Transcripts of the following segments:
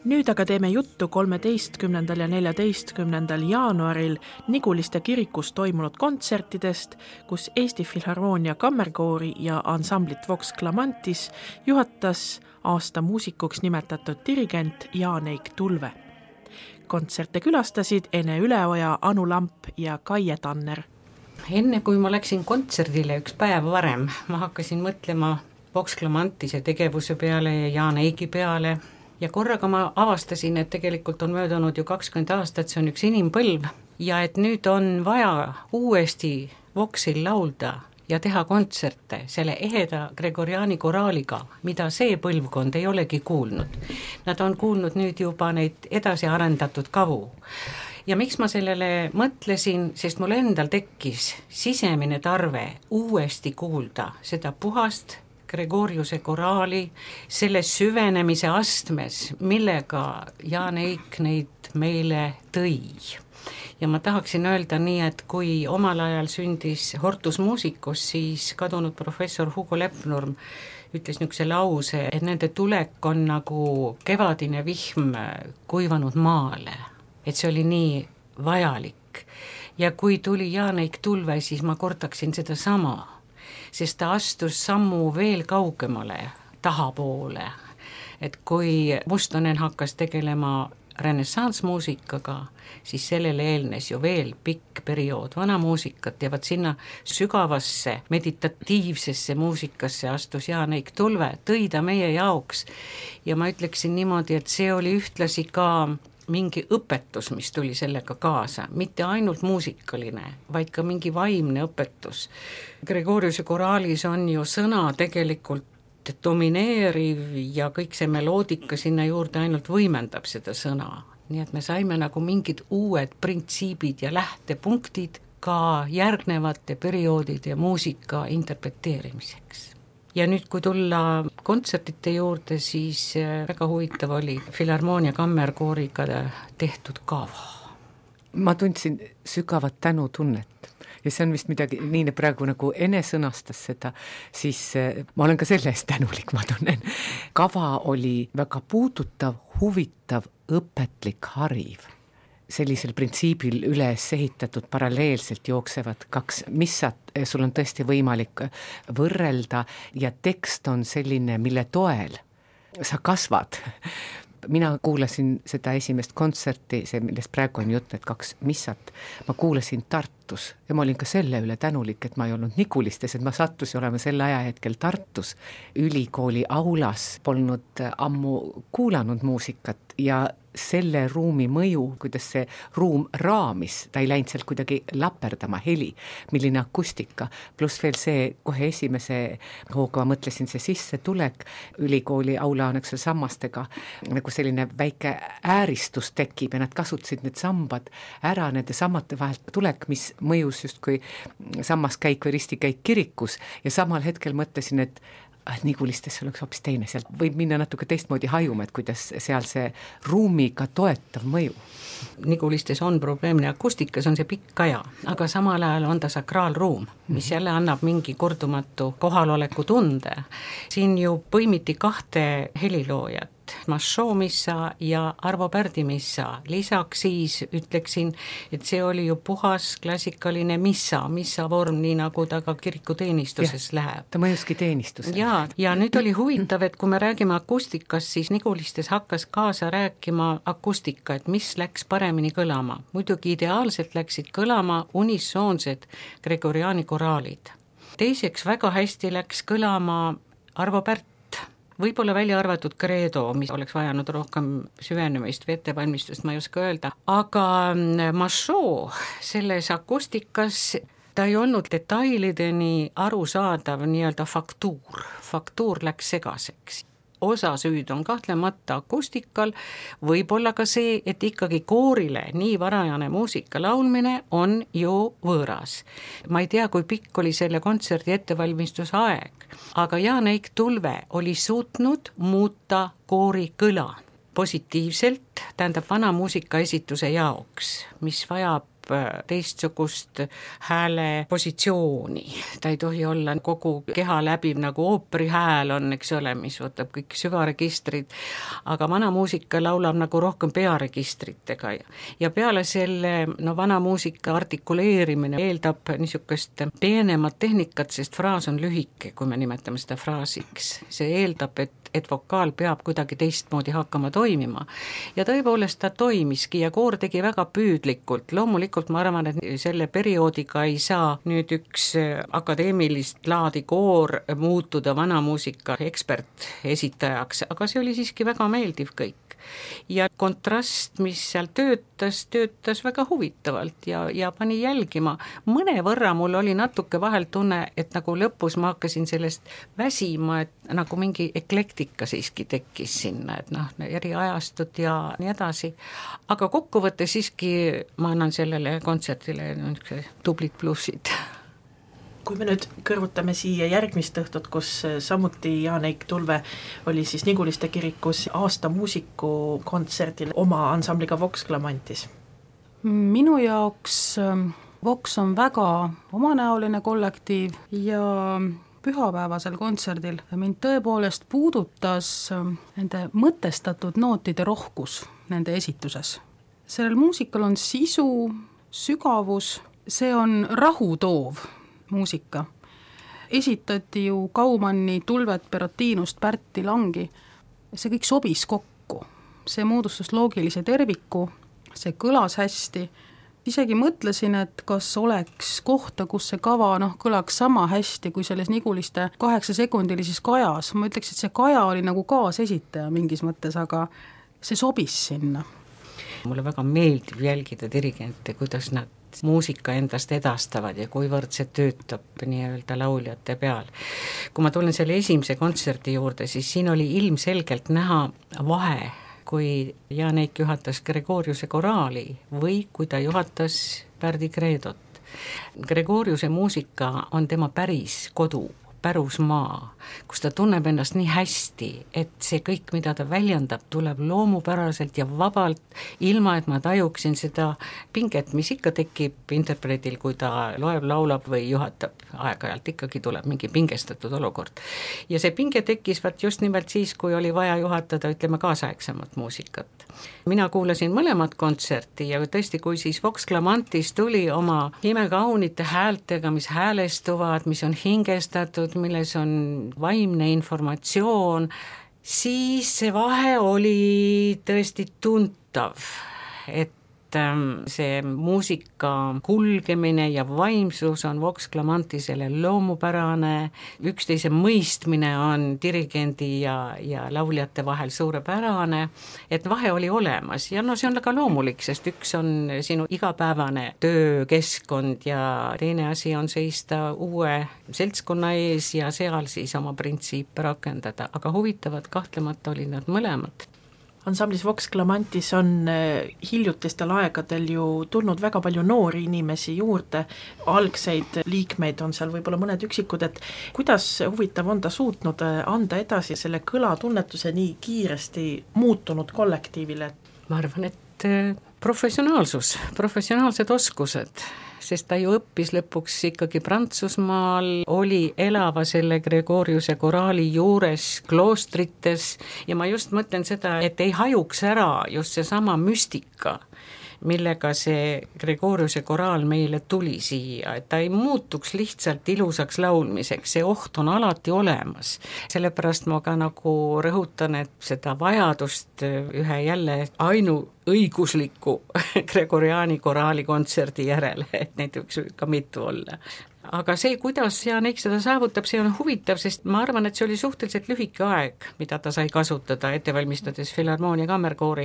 Nüüd aga teeme juttu 13. ja 14. jaanuaril Niguliste kirikus toimunud kontsertidest, kus Eesti Filharmoonia kammerkoori ja ansamblit Vox Clamantis juhatas aasta muusikuks nimetatud dirigent Jaan-Eik Tulve. Kontserte külastasid Ene Üleoja, Anu Lamp ja Kaie Tanner. Enne kui ma läksin kontserdile üks päev varem, ma hakkasin mõtlema Vox Clamantise tegevuse peale ja Jaan-Eiki peale ja korraga ma avastasin, et tegelikult on möödunud ju 20 aastat, see on üks inimpõlv ja et nüüd on vaja uuesti Voxil laulda ja teha kontserte selle eheda Gregoriani koraaliga, mida see põlvkond ei olegi kuulnud. Nad on kuulnud nüüd juba neid edasi arendatud kavu. Ja miks ma sellele mõtlesin, sest mul endal tekkis sisemine tarve uuesti kuulda seda puhast Gregoriuse koraali, selle süvenemise astmes, millega Jaan-Eik neid meile tõi. Ja ma tahaksin öelda nii, et kui omal ajal sündis Hortus Musicus, siis kadunud professor Hugo Lepnurm ütles niisuguse lause, et nende tulek on nagu kevadine vihm kuivanud maale. Et see oli nii vajalik. Ja kui tuli Jaan-Eik Tulve, siis ma kordaksin seda sama, sest ta astus sammu veel kaugemale tahapoole. Et kui Mustonen hakkas tegelema renessanssmuusikaga, siis sellele eelnes ju veel pikk periood vanamuusikat ja vaat sinna sügavasse meditatiivsesse muusikasse astus Jaan-Eik Tulve, tõi ta meie jaoks ja ma ütleksin niimoodi, et see oli ühtlasi ka mingi õpetus, mis tuli sellega kaasa, mitte ainult muusikaline, vaid ka mingi vaimne õpetus. Gregoriuse koraalis on ju sõna tegelikult domineeriv ja kõik see meloodika sinna juurde ainult võimendab seda sõna. Nii et me saime nagu mingid uued printsiibid ja lähtepunktid ka järgnevate perioodide muusika interpreteerimiseks. Ja nüüd, kui tulla kontsertite juurde, siis väga huvitav oli Filharmoonia kammerkooriga tehtud kava. Ma tundsin sügavat tänutunnet ja see on vist midagi, nii praegu nagu Ene sõnastas seda, siis ma olen ka selle eest tänulik, ma tunnen. Kava oli väga puudutav, huvitav, õpetlik, hariv. Sellisel printsiibil üles ehitatud paralleelselt jooksevad kaks missat, sul on tõesti võimalik võrrelda ja tekst on selline, mille toel sa kasvad. Mina kuulasin seda esimest kontserti, see millest praegu on jutt, need kaks missat, ma kuulasin Tartus ja ma olin ka selle üle tänulik, et ma ei olnud Nigulistes, et ma sattusin olema selle ajahetkel Tartus ülikooli aulas, polnud ammu kuulanud muusikat ja selle ruumi mõju, kuidas see ruum raamis, ta ei läinud sealt kuidagi laperdama, heli, milline akustika, pluss veel see kohe esimese hooga, ma mõtlesin see sissetulek, ülikooli aula on eksel sammastega, nagu selline väike ääristus tekib ja nad kasutasid need sambad ära nende sammate vahelt tulek, mis mõjus justkui sammaskäik või ristikäik kirikus ja samal hetkel mõtlesin, et Nigulistes oleks hoopis teine, sealt võib minna natuke teistmoodi hajuma, et kuidas seal see ruumiga toetav mõju. Nigulistes on probleemne akustikas, on see pikk aja, aga samal ajal on ta sakraalruum, mis jälle annab mingi kordumatu kohaloleku tunde. Siin ju põimiti 2 heliloojat, Mašo missa ja Arvo Pärdi missa. Lisaks siis ütleksin, et see oli ju puhas klassikaline missa vorm, nii nagu ta ka kirikuteenistuses läheb. Ta mõjuski teenistusele. Ja nüüd oli huvitav, et kui me räägime akustikast, siis Nigulistes hakkas kaasa rääkima akustika, et mis läks paremini kõlama. Muidugi ideaalselt läksid kõlama unisoonsed Gregoriani koraalid. Teiseks väga hästi läks kõlama Arvo Pärt, võib-olla välja arvatud Credo, mis oleks vajanud rohkem süvenemist või ettevalmistust, ma ei oska öelda. Aga Mašo selles akustikas, ta ei olnud detailideni arusaadav nii-öelda faktuur. Faktuur läks segaseks. Osa süüd on kahtlemata akustikal, võib-olla ka see, et ikkagi koorile nii varajane muusika laulmine on ju võõras. Ma ei tea, kui pikk oli selle kontserdi ettevalmistuse aeg, aga Jaan-Eik Tulve oli suutnud muuta koori kõla positiivselt, tähendab vana muusika esituse jaoks, mis vajab teistsugust hääle positsiooni. Ta ei tohi olla kogu keha läbiv, nagu ooperi hääl on, eks ole, mis võtab kõik süvaregistrid, aga vana muusika laulab nagu rohkem pearegistritega ja peale selle vana muusika artikuleerimine eeldab niisugust peenemat tehnikat, sest fraas on lühike, kui me nimetame seda fraasiks. See eeldab, et vokaal peab kuidagi teistmoodi hakkama toimima. Ja tõepoolest ta toimiski ja koor tegi väga püüdlikult. Loomulikult ma arvan, et selle perioodiga ei saa nüüd üks akadeemilist laadi koor muutuda vanamuusika ekspertesitajaks, aga see oli siiski väga meeldiv kõik. Ja kontrast, mis seal töötas väga huvitavalt ja pani jälgima. Mõnevõrra mul oli natuke vahel tunne, et nagu lõpus ma hakkasin sellest väsima, et nagu mingi eklektika siiski tekkis sinna, et eri ajastud ja nii edasi. Aga kokkuvõttes siiski ma annan sellele kontserdile tublid plussid. Kui me nüüd kõrvutame siia järgmist õhtut, kus samuti Jaan-Eik Tulve oli siis Niguliste kirikus aasta muusiku kontserdil oma ansambliga Vox Clamantis. Minu jaoks Vox on väga omanäoline kollektiiv ja pühapäevasel kontserdil mind tõepoolest puudutas nende mõtestatud nootide rohkus nende esituses. Sellel muusikal on sisu, sügavus, see on rahutoov muusika. Esitati ju Kaumanni, Tulvet, Perotinust, Pärti, Langi. See kõik sobis kokku. See moodustas loogilise terviku, see kõlas hästi. Isegi mõtlesin, et kas oleks kohta, kus see kava kõlaks sama hästi kui selles Niguliste 8-sekundilises kajas. Ma ütleks, et see kaja oli nagu kaasesitaja mingis mõttes, aga see sobis sinna. Mulle väga meeldib jälgida dirigente, kuidas nad muusika endast edastavad ja kuivõrd see töötab nii-öelda lauljate peal. Kui ma tulen selle esimese kontserdi juurde, siis siin oli ilmselgelt näha vahe, kui Jaan-Eik juhatas Gregoriuse koraali või kui ta juhatas Pärdi Kreedot. Gregoriuse muusika on tema päris kodu, pärusmaa, kus ta tunneb ennast nii hästi, et see kõik, mida ta väljendab, tuleb loomupäraselt ja vabalt, ilma et ma tajuksin seda pinget, mis ikka tekib interpretil, kui ta loeb, laulab või juhatab. Aeg-ajalt ikkagi tuleb mingi pingestatud olukord. Ja see pinge tekkis just nimelt siis, kui oli vaja juhatada, ütleme, kaasaegsemat muusikat. Mina kuulasin mõlemat kontserti ja tõesti, kui siis Vox Clamantis tuli oma imekaunite häältega, mis häälestuvad, mis on hingestatud, milles on vaimne informatsioon, siis see vahe oli tõesti tuntav, et see muusika kulgemine ja vaimsus on Vox Clamantisele loomupärane, üksteise mõistmine on dirigendi ja lauljate vahel suurepärane, et vahe oli olemas ja see on väga loomulik, sest üks on sinu igapäevane töökeskkond ja teine asi on seista uue seltskonna ees ja seal siis oma printsiipe rakendada, aga huvitavad kahtlemata olid nad mõlemad. Ansamblis Vox Clamantis on hiljutistel aegadel ju tulnud väga palju noori inimesi juurde, algseid liikmeid on seal võib-olla mõned üksikud, et kuidas huvitav on ta suutnud anda edasi selle kõlatunnetuse nii kiiresti muutunud kollektiivile? Ma arvan, et professionaalsed oskused, sest ta ju õppis lõpuks ikkagi Prantsusmaal, oli elava selle Gregoriuse koraali juures kloostrites ja ma just mõtlen seda, et ei hajuks ära just seesama müstika, millega see Gregoriuse koraal meile tuli siia, et ta ei muutuks lihtsalt ilusaks laulmiseks, see oht on alati olemas. Sellepärast ma ka nagu rõhutan, et seda vajadust ühe jälle õigusliku Gregoriani koraali kontserdi järele, et neid võiks ka mitu olla. Aga see, kuidas Jaan-Eik seda saavutab, see on huvitav, sest ma arvan, et see oli suhteliselt lühike aeg, mida ta sai kasutada ettevalmistades Filharmoonia kammerkoori,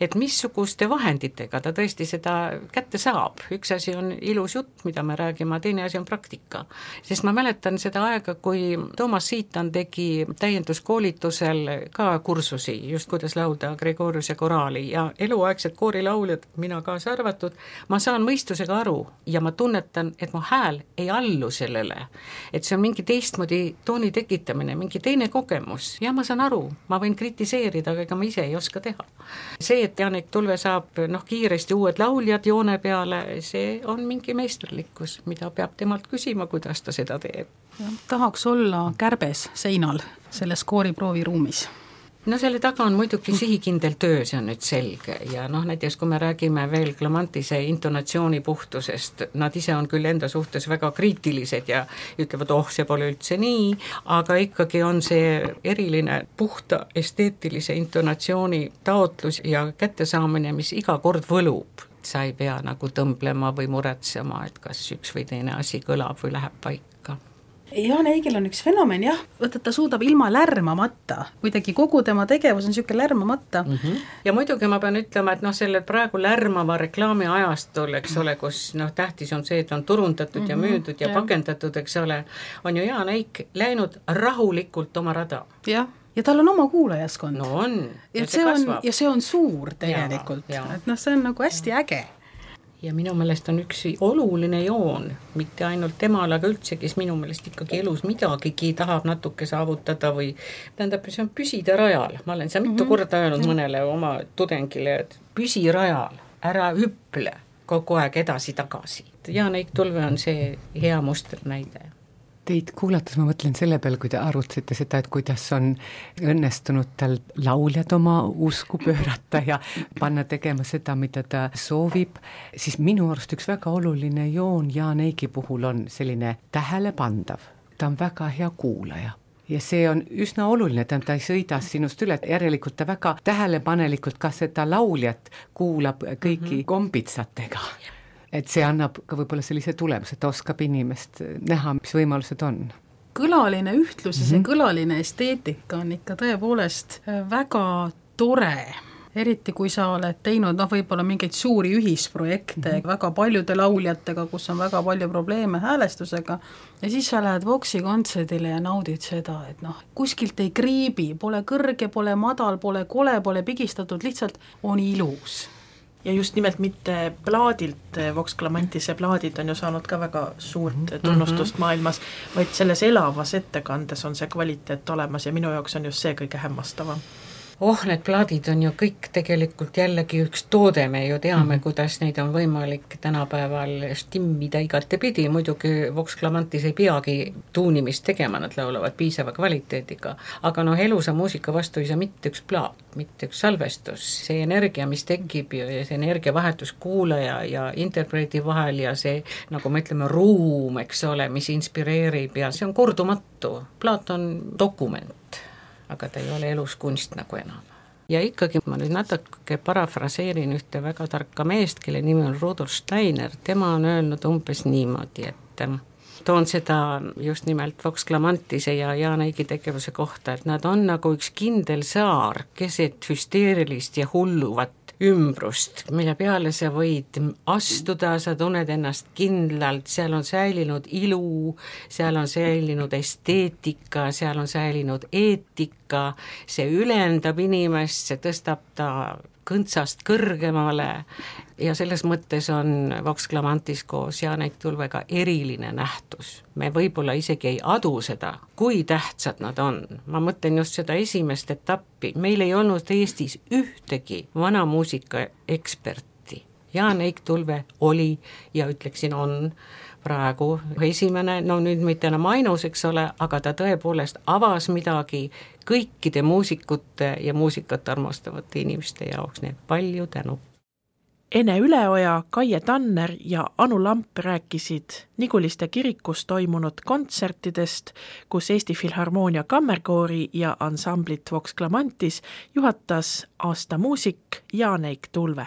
et missuguste vahenditega ta tõesti seda kätte saab. Üks asi on ilus jutt, mida me räägime, teine asi on praktika. Sest ma mäletan seda aega, kui Toomas Siitan tegi täienduskoolitusel ka kursusi, just kuidas laulda Gregoriuse koraali ja eluaegsed koorilauljad, mina kaasa arvatud, ma saan mõistusega aru ja ma tunnetan, et mu hääl ei alla allu sellele, et see on mingi teistmoodi tooni tekitamine, mingi teine kogemus ja ma saan aru, ma võin kritiseerida, aga ega ma ise ei oska teha. See, et Janek Tulve saab kiiresti uued lauljad joone peale, see on mingi meisterlikkus, mida peab temalt küsima, kuidas ta seda teeb. Ja, tahaks olla kärbes seinal selles kooriprooviruumis. No selle taga on muidugi sihikindel töö, see on nüüd selge ja näiteks kui me räägime veel Clemantise intonatsiooni puhtusest, nad ise on küll enda suhtes väga kriitilised ja ütlevad, see pole üldse nii, aga ikkagi on see eriline puhta esteetilise intonatsiooni taotlus ja kättesaamine, mis iga kord võlub. Sa ei pea nagu tõmblema või muretsema, et kas üks või teine asi kõlab või läheb paika. Jaan Eigil on üks fenomen, jah, võtta ta suudab ilma lärmamata, kuidagi kogu tema tegevus on niisugune lärmamata. Ja muidugi ma pean ütlema, et selle praegu lärmava reklaami ajastul, eks ole, kus tähtis on see, et on turundatud ja müüdud ja pakendatud, eks ole, on ju Jaan Eik läinud rahulikult oma rada. Jah. Ja tal on oma kuulajaskond. No on, ja see on suur tegelikult, et see on nagu hästi äge. Ja minu meelest on üks oluline joon, mitte ainult temal, aga üldse, kes minu meelest ikkagi elus midagigi tahab natuke saavutada või tähendab, see on püsida rajal. Ma olen seda mitu korda öelnud mõnele oma tudengile, et püsi rajal, ära hüple kogu aeg edasi-tagasi. Jaan Eik Tulve on see hea musternäide. Teid kuulates ma mõtlen selle peale, kui te arutasite seda, et kuidas on õnnestunud tal lauljad oma usku pöörata ja panna tegema seda, mida ta soovib, siis minu arust üks väga oluline joon Jaan Eigi puhul on selline tähelepandav. Ta on väga hea kuulaja. Ja see on üsna oluline, ta ei sõida sinust üle, järelikult ta väga tähelepanelikult ka seda lauljat kuulab kõiki kombitsatega. Et see annab ka võib-olla sellise tulemuse, et ta oskab inimest näha, mis võimalused on. Kõlaline ühtlus ja see kõlaline esteetika on ikka tõepoolest väga tore. Eriti kui sa oled teinud võib-olla mingeid suuri ühisprojekte väga paljude lauljatega, kus on väga palju probleeme häälestusega ja siis sa lähed Voxi kontserdile ja naudid seda, et kuskilt ei kriibi, pole kõrge, pole madal, pole kole, pole pigistatud, lihtsalt on ilus. Ja just nimelt mitte plaadilt, Vox Clamantise plaadid on ju saanud ka väga suurt tunnustust maailmas, vaid selles elavas ettekandes on see kvaliteet olemas ja minu jaoks on just see kõige hämmastavam. Need plaadid on ju kõik tegelikult jällegi üks toode, me ju teame, kuidas neid on võimalik tänapäeval stimmida igatepidi, muidugi Vox Clamantis ei peagi tuunimist tegema, nad laulavad piisava kvaliteediga, aga elusa muusika vastu ei saa mitte üks plaat, mitte üks salvestus, see energia, mis tekib ja see energiavahetus kuulaja ja interpreti vahel ja see, nagu me ütleme, ruum, eks ole, mis inspireerib ja see on kordumatu, plaat on dokument. Aga ta ei ole elus kunst nagu enam. Ja ikkagi ma nüüd natuke parafraseerin ühte väga tarka meest, kelle nimi on Rudolf Steiner, tema on öelnud umbes niimoodi, et toon seda just nimelt Vox Clamantise ja Jaan Eigi tegevuse kohta, et nad on nagu üks kindel saar keset hüsteerilist ja hulluvat ümbrust, mille peale sa võid astuda, sa tunned ennast kindlalt, seal on säilinud ilu, seal on säilinud esteetika, seal on säilinud eetika, see ülendab inimest, see tõstab ta kõntsast kõrgemale ja selles mõttes on Vox Clamantis koos Jaan Eik Tulvega eriline nähtus. Me võib-olla isegi ei adu seda, kui tähtsad nad on. Ma mõtlen just seda esimest etappi. Meil ei olnud Eestis ühtegi vanamuusika eksperti. Jaan Eik Tulve oli ja ütleksin on praegu esimene, nüüd mitte enam ainus, eks ole, aga ta tõepoolest avas midagi kõikide muusikute ja muusikat armastavate inimeste jaoks, nii palju tänu. Ene Üleoja, Kaie Tanner ja Anu Lamp rääkisid Niguliste kirikus toimunud kontsertidest, kus Eesti Filharmoonia kammerkoori ja ansamblit Vox Clamantis juhatas aasta muusik Jaan Eik Tulve.